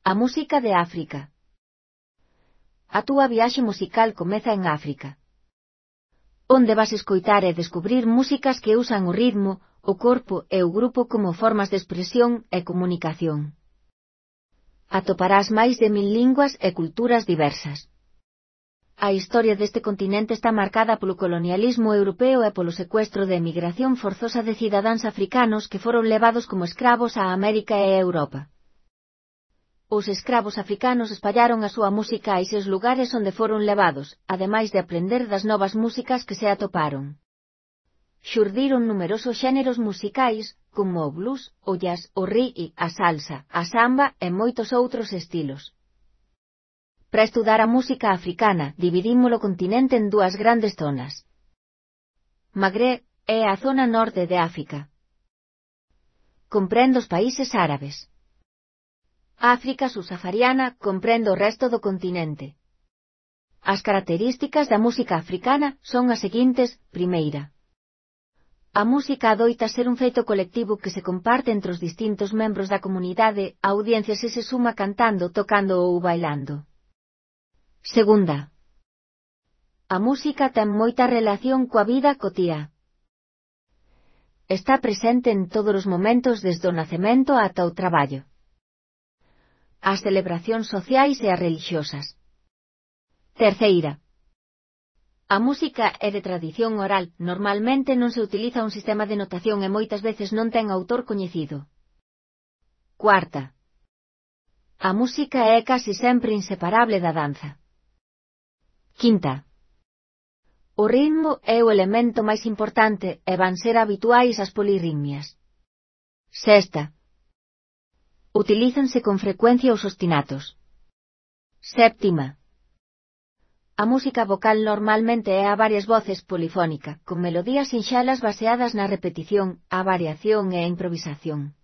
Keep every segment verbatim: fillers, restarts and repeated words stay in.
A música de África. A túa viaxe musical comeza en África, onde vas escoitar e descubrir músicas que usan o ritmo, o corpo e o grupo como formas de expresión e comunicación. Atoparás máis de mil linguas e culturas diversas. A historia deste continente está marcada polo colonialismo europeo e polo secuestro de emigración forzosa de cidadáns africanos que foron levados como escravos a América e a Europa. Os escravos africanos espallaron a súa música a eses lugares onde foron levados, ademais de aprender das novas músicas que se atoparon. Xurdiron numerosos xéneros musicais, como o blues, o jazz, o reggae, a salsa, a samba e moitos outros estilos. Para estudar a música africana, dividímos o continente en dúas grandes zonas. Magreb é a zona norte de África. Comprende os países árabes. África subsahariana comprende o resto do continente. As características da música africana son as seguintes: primeira, a música adoita ser un feito colectivo que se comparte entre os distintos membros da comunidade, a audiencia se se suma cantando, tocando ou bailando. Segunda, a música ten moita relación coa vida cotiá. Está presente en todos os momentos desde o nacemento ata o traballo, as celebracións sociais e as religiosas. Terceira, a música é de tradición oral, normalmente non se utiliza un sistema de notación e moitas veces non ten autor coñecido. Cuarta, a música é casi sempre inseparable da danza. Quinta, o ritmo é o elemento máis importante e van ser habituais as polirritmias. Sexta, utilízanse con frecuencia os ostinatos. Séptima, a música vocal normalmente é a varias voces polifónica, con melodías sinxelas baseadas na repetición, a variación e a improvisación.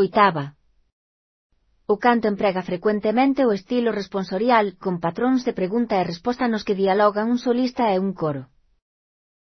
Oitava, o canto emprega frecuentemente o estilo responsorial, con patróns de pregunta e resposta nos que dialogan un solista e un coro.